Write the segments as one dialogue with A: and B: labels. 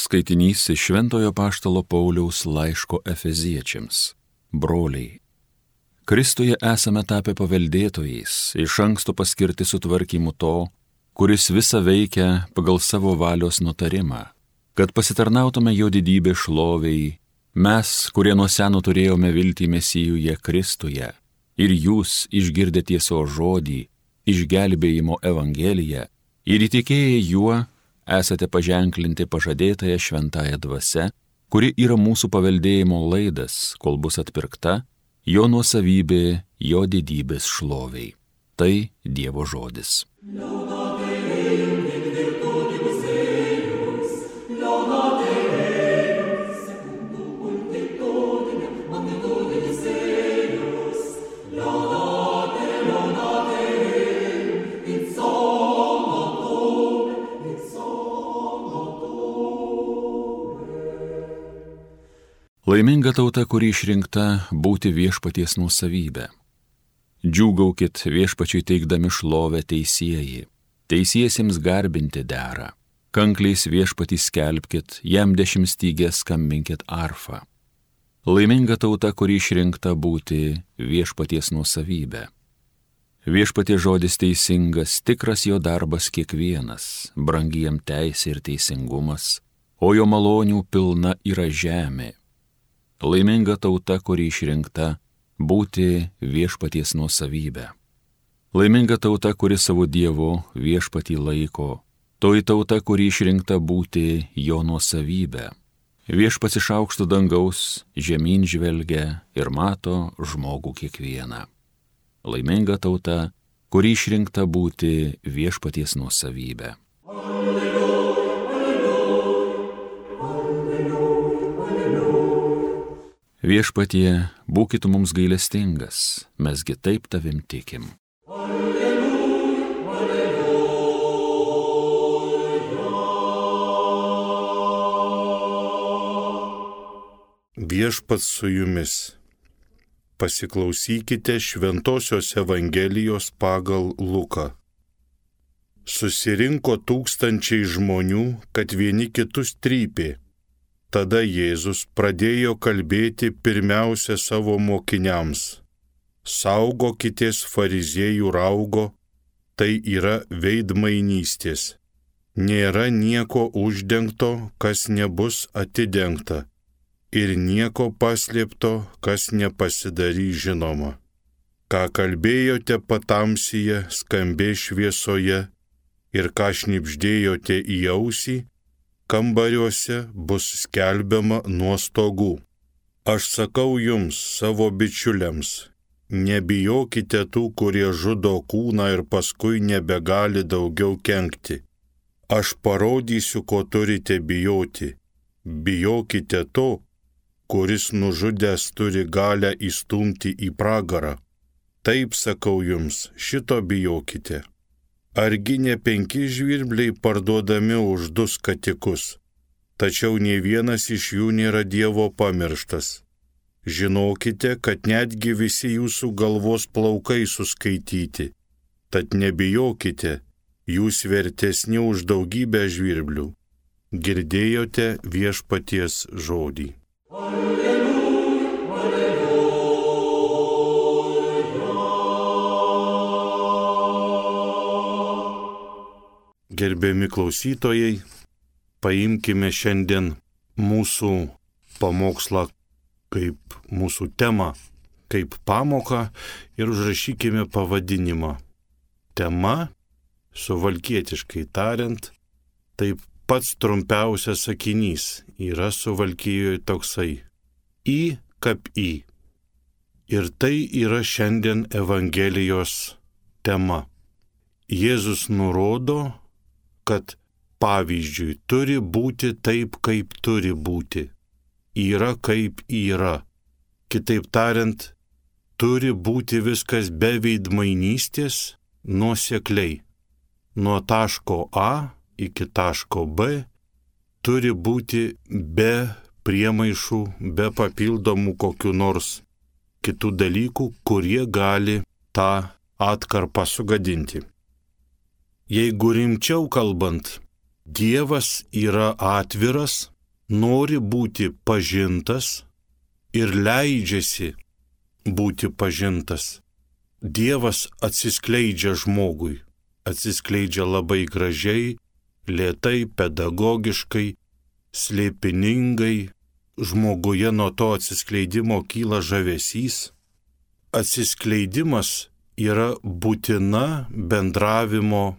A: Skaitinys iš Šventojo apaštalo Pauliaus laiško Efeziečiams. Broliai, Kristuje esame tapę paveldėtojais, iš anksto paskirti sutvarkymu to, kuris visą veikia pagal savo valios nutarimą, kad pasitarnautume jo didybės šloviai, mes, kurie nuo seno turėjome viltį Mesijuje Kristuje, ir jūs išgirdę tiesos žodį, išgelbėjimo evangeliją, ir įtikėję juo, esate paženklinti pažadėtąją šventąją dvasią, kuri yra mūsų paveldėjimo laidas, kol bus atpirkta, jo nuosavybė, jo didybės šloviai. Tai Dievo žodis. Laiminga tauta, kuri išrinkta būti viešpaties nuosavybė. Džiūgaukit viešpačiui teikdami šlovę teisieji, teisiesiems garbinti dera. Kankliais viešpatį skelbkit, jam 10 stygės skambinkit arfą. Laiminga tauta, kuri išrinkta būti viešpaties nuosavybė. Viešpaties žodis teisingas, tikras jo darbas kiekvienas, brangi jam teisė ir teisingumas, o jo malonių pilna yra žemė. Laiminga tauta, kuri išrinkta būti viešpaties nuosavybė. Laiminga tauta, kuri savo Dievo viešpatį laiko. Toji tauta, kuri išrinkta būti jo nuosavybė. Viešpats iš aukšto dangaus žemyn žvelgia ir mato žmogų kiekvieną. Laiminga tauta, kuri išrinkta būti viešpaties nuosavybė. Viešpatie, būkit mums gailestingas, mesgi taip tavim tikim.
B: Alleluja, alleluja. Viešpats su jumis. Pasiklausykite Šventosios Evangelijos pagal Luką. Susirinko tūkstančiai žmonių, kad vieni kitus trypė. Tada Jėzus pradėjo kalbėti pirmiausia savo mokiniams. Saugokitės fariziejų raugo, tai yra veidmainystės. Nėra nieko uždengto, kas nebus atidengta, ir nieko paslėpto, kas nepasidarys žinoma. Ką kalbėjote patamsyje, skambės šviesoje, ir ką šnibždėjote į ausį, kambariuose bus skelbiama nuo stogų. Aš sakau jums, savo bičiuliams, nebijokite tų, kurie žudo kūną ir paskui nebegali daugiau kenkti. Aš parodysiu, ko turite bijoti. Bijokite to, kuris nužudęs turi galią įstumti į pragarą. Taip sakau jums, šito bijokite. Argi ne 5 žvirbliai parduodami už 2 skatikus, tačiau nė vienas iš jų nėra Dievo pamirštas. Žinokite, kad netgi visi jūsų galvos plaukai suskaityti, tad nebijokite, jūs vertesni už daugybę žvirblių. Girdėjote viešpaties žodį. Gerbiami klausytojai, paimkime šiandien mūsų pamokslą kaip mūsų temą, kaip pamoką ir užrašykime pavadinimą. Tema, suvalkietiškai tariant, taip pats trumpiausias sakinys yra Suvalkijoje toksai: į kap į. Ir tai yra šiandien Evangelijos tema. Jėzus nurodo, kad pavyzdžiui turi būti taip, kaip turi būti. Yra kaip yra. Kitaip tariant, turi būti viskas be veidmainystės, nuosekliai. Nuo taško A iki taško B turi būti be priemaišų, be papildomų kokių nors kitų dalykų, kurie gali tą atkarpą sugadinti. Jeigu rimčiau kalbant, Dievas yra atviras, nori būti pažintas ir leidžiasi būti pažintas. Dievas atsiskleidžia žmogui, atsiskleidžia labai gražiai, lėtai, pedagogiškai, slėpiningai. Žmoguje nuo to atsiskleidimo kyla žavesys. Atsiskleidimas yra būtina bendravimo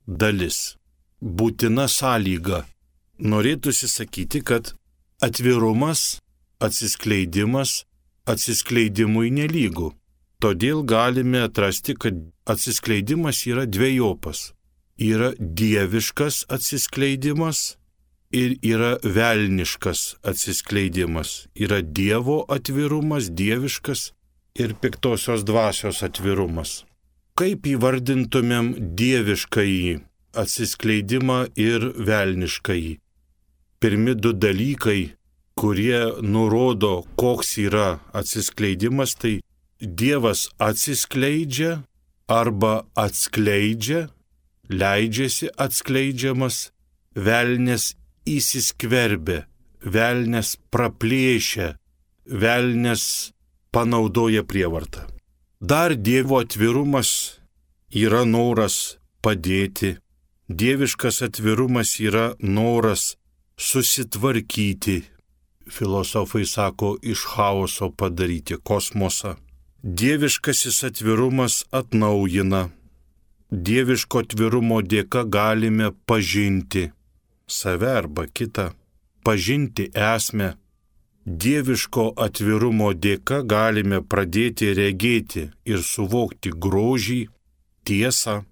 B: dalis, būtina sąlyga. Norėtųsi sakyti, kad atvirumas, atsiskleidimas atsiskleidimui nelygu. Todėl galime atrasti, kad atsiskleidimas yra dvejopas. Yra dieviškas atsiskleidimas ir yra velniškas atsiskleidimas. Yra Dievo atvirumas, dieviškas ir piktosios dvasios atvirumas. Kaip įvardintumėm dieviškąjį atsiskleidimą ir velniškąjį? Pirmi du dalykai, kurie nurodo, koks yra atsiskleidimas, tai Dievas atsiskleidžia arba atskleidžia, leidžiasi atskleidžiamas, velnias įsiskverbia, velnias praplėšia, velnias panaudoja prievartą. Dar Dievo atvirumas yra noras padėti, dieviškas atvirumas yra noras susitvarkyti. Filosofai sako, iš chaoso padaryti kosmosą. Dieviškasis atvirumas atnaujina. Dieviško atvirumo dėka galime pažinti save arba kitą, pažinti esmę. Dieviško atvirumo dėka galime pradėti regėti ir suvokti grožį, tiesą,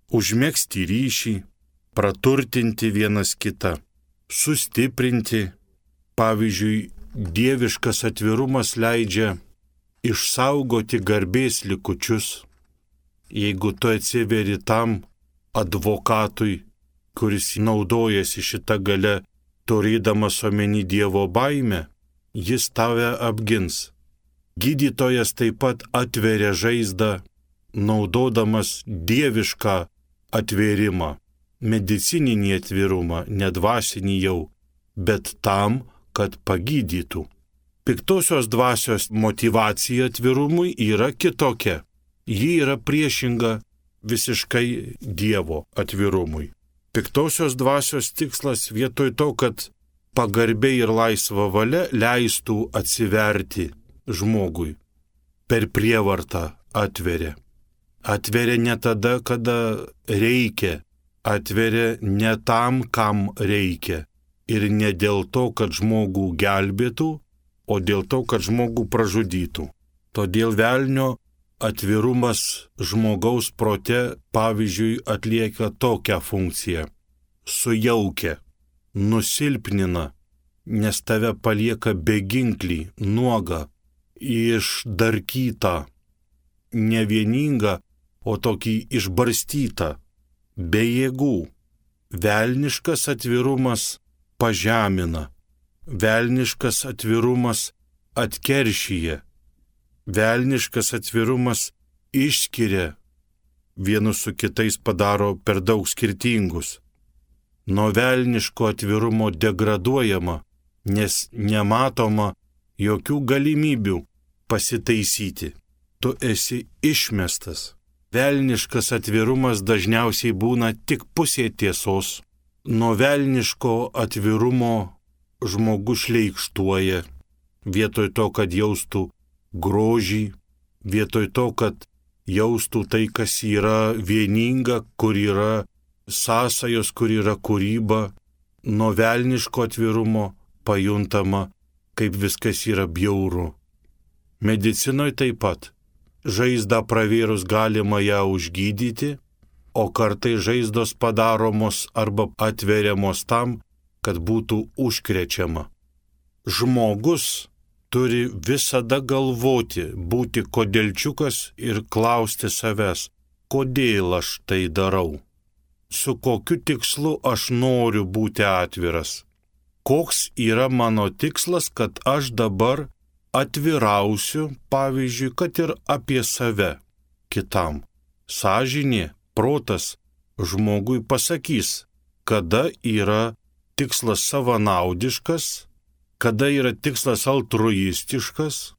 B: užmegzti ryšį, praturtinti vienas kitą, sustiprinti. Pavyzdžiui, dieviškas atvirumas leidžia išsaugoti garbės likučius. Jeigu tu atsiveri tam advokatui, kuris naudojasi šitą galę, turėdamas omeny Dievo baimę, jis tave apgins. Gydytojas taip pat atveria žaizdą, naudodamas dievišką atvėrimą, medicininį atvirumą, nedvasinį jau, bet tam, kad pagydytų. Piktosios dvasios motyvacija atvirumui yra kitokia. Ji yra priešinga visiškai Dievo atvirumui. Piktosios dvasios tikslas vietoj to, kad pagarbiai ir laisva valia leistų atsiverti žmogui, per prievartą atveria. Atveria ne tada, kada reikia, atveria ne tam, kam reikia. Ir ne dėl to, kad žmogų gelbėtų, o dėl to, kad žmogų pražudytų. Todėl velnio atvirumas žmogaus prote, pavyzdžiui, atlieka tokią funkciją. Sujaukia, nusilpnina, nes tave palieka beginklį, nuogą, išdarkytą, ne vieningą, o tokį išbarstytą, be jėgų. Velniškas atvirumas pažemina, velniškas atvirumas atkeršyje, velniškas atvirumas išskiria, vienus su kitais padaro per daug skirtingus. Nuo velniško atvirumo degraduojama, nes nematoma jokių galimybių pasitaisyti. Tu esi išmestas. Velniškas atvirumas dažniausiai būna tik pusė tiesos. Nuo velniško atvirumo žmogus šleikštuoja, vietoj to, kad jaustų grožį, vietoj to, kad jaustų tai, kas yra vieninga, kur yra sąsajos, kur yra kūryba. Nuo velniško atvirumo pajuntama, kaip viskas yra bjauru. Medicinoje taip pat. Žaizdą pravėrus galima ją užgydyti, o kartai žaizdos padaromos arba atveriamos tam, kad būtų užkrečiama. Žmogus turi visada galvoti, būti kodėlčiukas ir klausti savęs, kodėl aš tai darau, su kokiu tikslu aš noriu būti atviras, koks yra mano tikslas, kad aš dabar atvirausiu, pavyzdžiui, kad ir apie save kitam. Sąžinė, protas žmogui pasakys, kada yra tikslas savanaudiškas, kada yra tikslas altruistiškas,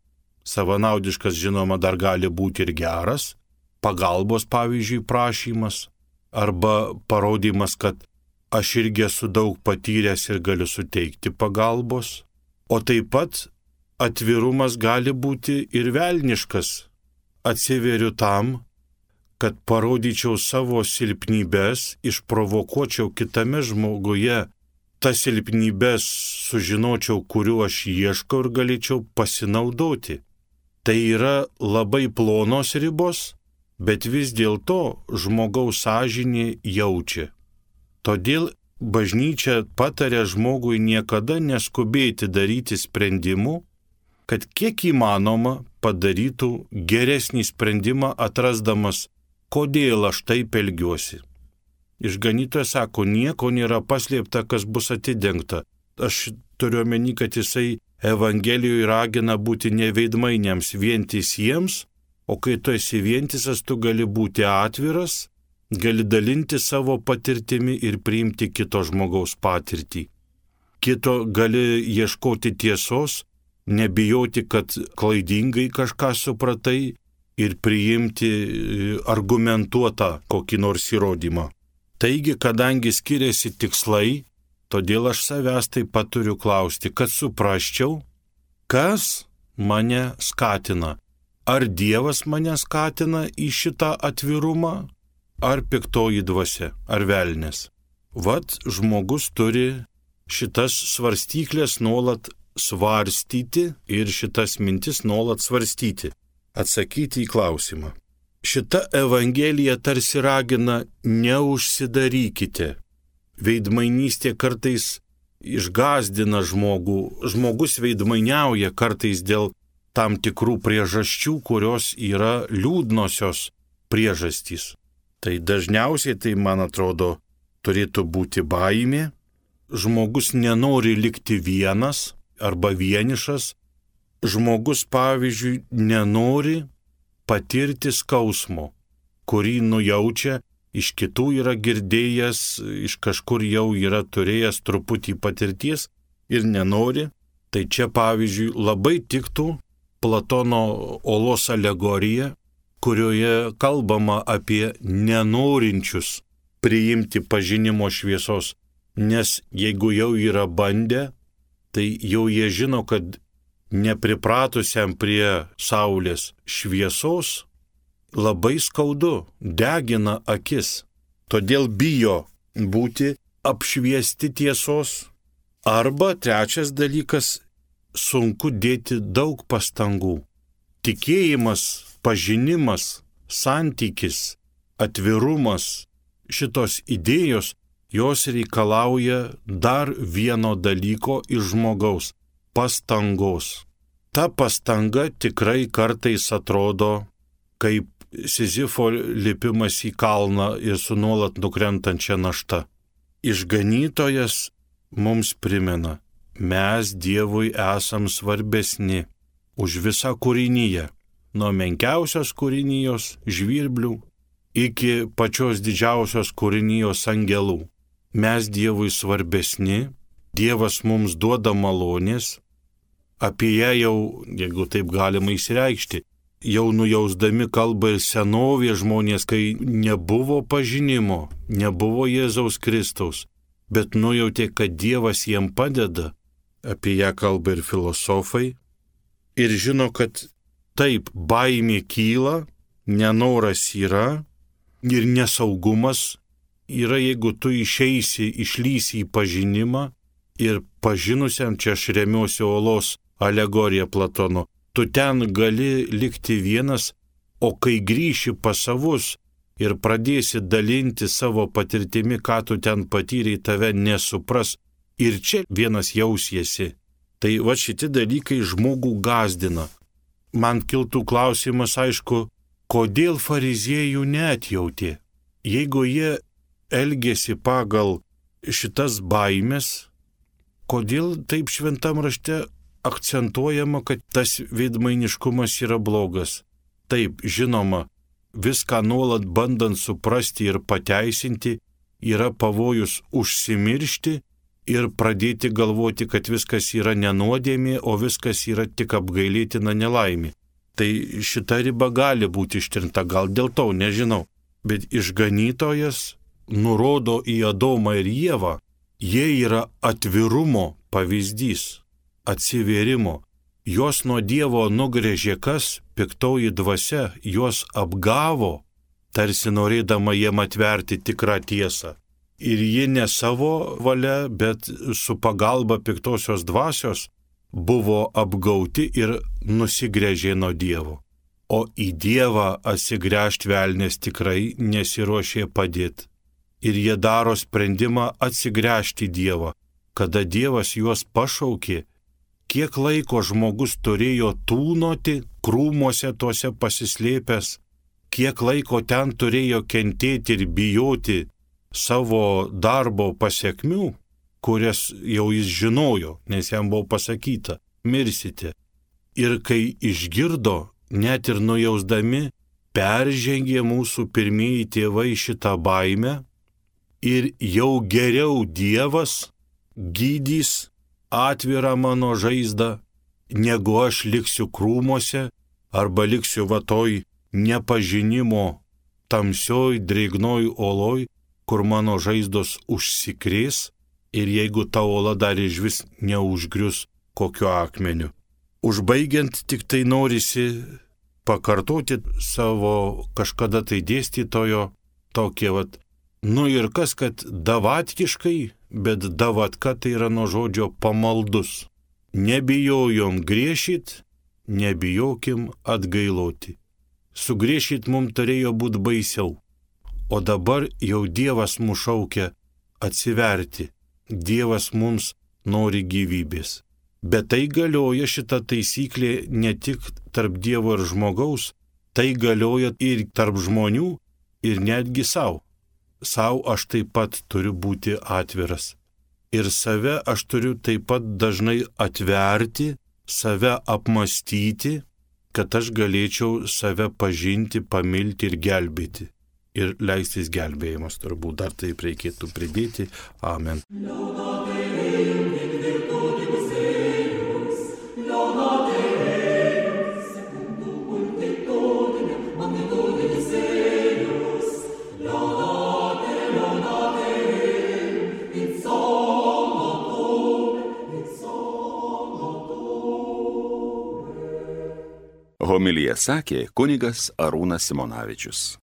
B: savanaudiškas žinoma dar gali būti ir geras, pagalbos pavyzdžiui prašymas, arba parodymas, kad aš irgi esu daug patyręs ir galiu suteikti pagalbos, o taip pat atvirumas gali būti ir velniškas. Atsiveriu tam, kad parodyčiau savo silpnybes, išprovokuočiau kitame žmoguje tas silpnybes, sužinočiau, kuriuo aš ieškau ir galėčiau pasinaudoti. Tai yra labai plonos ribos, bet vis dėlto žmogaus sąžinė jaučia. Todėl bažnyčia pataria žmogui niekada neskubėti daryti sprendimų, kad kiek įmanoma padarytų geresnį sprendimą, atrasdamas, kodėl aš taip elgiuosi. Išganytojas sako, nieko nėra paslėpta, kas bus atidengta. Aš turiu omeny, kad jisai Evangelijoje ragina būti neveidmainiams, vientisiems, o kai tu esi vientisas, tu gali būti atviras, gali dalinti savo patirtimi ir priimti kito žmogaus patirtį. Kito gali ieškoti tiesos, nebijoti, kad klaidingai kažką supratai ir priimti argumentuotą kokį nors įrodymą. Taigi, kadangi skiriasi tikslai, todėl aš savęs taip pat turiu klausti, kad suprasčiau, kas mane skatina. Ar Dievas mane skatina į šitą atvirumą, ar piktoji dvasia, ar velnės. Vat žmogus turi šitas svarstyklės nuolat svarstyti ir šitas mintis nuolat svarstyti, atsakyti į klausimą. Šita Evangelija tarsi ragina neužsidarykite. Veidmainystė kartais išgąsdina žmogų. Žmogus veidmainiauja kartais dėl tam tikrų priežasčių, kurios yra liūdnosios priežastys. Tai dažniausiai, tai man atrodo, turėtų būti baimė. Žmogus nenori likti vienas arba vienišas. Žmogus, pavyzdžiui, nenori patirti skausmo, kurį nujaučia, iš kitų yra girdėjęs, iš kažkur jau yra turėjęs truputį patirties ir nenori. Tai čia, pavyzdžiui, labai tiktų Platono olos alegorija, kurioje kalbama apie nenorinčius priimti pažinimo šviesos. Nes jeigu jau yra bandę, tai jau jie žino, kad nepripratusiam prie saulės šviesos labai skaudu, degina akis. Todėl bijo būti apšviesti tiesos. Arba trečias dalykas, sunku dėti daug pastangų. Tikėjimas, pažinimas, santykis, atvirumas, šitos idėjos, jos reikalauja dar vieno dalyko iš žmogaus – pastangos. Ta pastanga tikrai kartais atrodo kaip Sizifo lipimas į kalną ir su nuolat nukrentančia našta. Išganytojas mums primena, mes Dievui esam svarbesni už visą kūrinyje, nuo menkiausios kūrinijos žvirblių iki pačios didžiausios kūrinijos angelų. Mes Dievui svarbesni, Dievas mums duoda malonės, apie ją jau, jeigu taip galima išreikšti, jau nujausdami kalbą ir senovė žmonės, kai nebuvo pažinimo, nebuvo Jėzaus Kristaus, bet nujautė, kad Dievas jiem padeda, apie ją kalba ir filosofai, ir žino, kad taip baimė kyla, nenoras yra ir nesaugumas yra, jeigu tu išlysi į pažinimą ir pažinusiam, čia aš remiuosi olos alegorija Platono, tu ten gali likti vienas, o kai grįši pas savus ir pradėsi dalinti savo patirtimi, ką tu ten patyrei, tave nesupras ir čia vienas jausiesi. Tai va šitie dalykai žmogų gąsdina. Man kiltų klausimas, aišku, kodėl fariziejų neatjautė? Jeigu jie elgėsi pagal šitas baimės, kodėl taip šventam rašte akcentuojama, kad tas veidmainiškumas yra blogas? Taip, žinoma, viską nuolat bandant suprasti ir pateisinti, yra pavojus užsimiršti ir pradėti galvoti, kad viskas yra nenuodėmė, o viskas yra tik apgailėtina nelaimė. Tai šita riba gali būti ištrinta, gal dėl to, nežinau. Bet išganytojas nurodo į Adomą ir Ievą, jie yra atvirumo pavyzdys, atsivėrimo. Juos nuo Dievo nugrėžė kas? Piktoji dvasia, juos apgavo, tarsi norėdama jiem atverti tikrą tiesą. Ir ji ne savo valia, bet su pagalba piktosios dvasios buvo apgauti ir nusigręžė nuo Dievo. O į Dievą atsigręžti velnės tikrai nesiruošė padėti. Ir jie daro sprendimą atsigręžti į Dievą. Kada Dievas juos pašaukė, kiek laiko žmogus turėjo tūnoti krūmuose tuose pasislėpęs, kiek laiko ten turėjo kentėti ir bijoti savo darbo pasiekmių, kurias jau jis žinojo, nes jam buvo pasakyta, mirsite. Ir kai išgirdo, net ir nujausdami, peržengė mūsų pirmieji tėvai šitą baimę ir jau geriau Dievas gydys atvirą mano žaizdą, negu aš liksiu krūmuose arba liksiu vatoj nepažinimo tamsioj, drėgnoj oloj, kur mano žaizdos užsikrės ir jeigu ta ola dar išvis neužgrius kokiu akmeniu. Užbaigiant, tik tai norisi pakartoti savo kažkada tai dėstytojo tokie ir kas, kad davatkiškai, bet davatka tai yra nuo žodžio pamaldus. Nebijojom grėšit, nebijokim atgailoti. Sugrėšit mums turėjo būti baisiau. O dabar jau Dievas mus šaukia atsiverti. Dievas mums nori gyvybės. Bet tai galioja šita taisyklė ne tik tarp Dievo ir žmogaus, tai galioja ir tarp žmonių ir netgi savo. Sau aš taip pat turiu būti atviras. Ir save aš turiu taip pat dažnai atverti, save apmastyti, kad aš galėčiau save pažinti, pamilti ir gelbėti. Ir leistis gelbėjimas turbūt dar taip reikėtų pridėti. Amen.
A: Homiliją sakė kunigas Arūnas Simonavičius.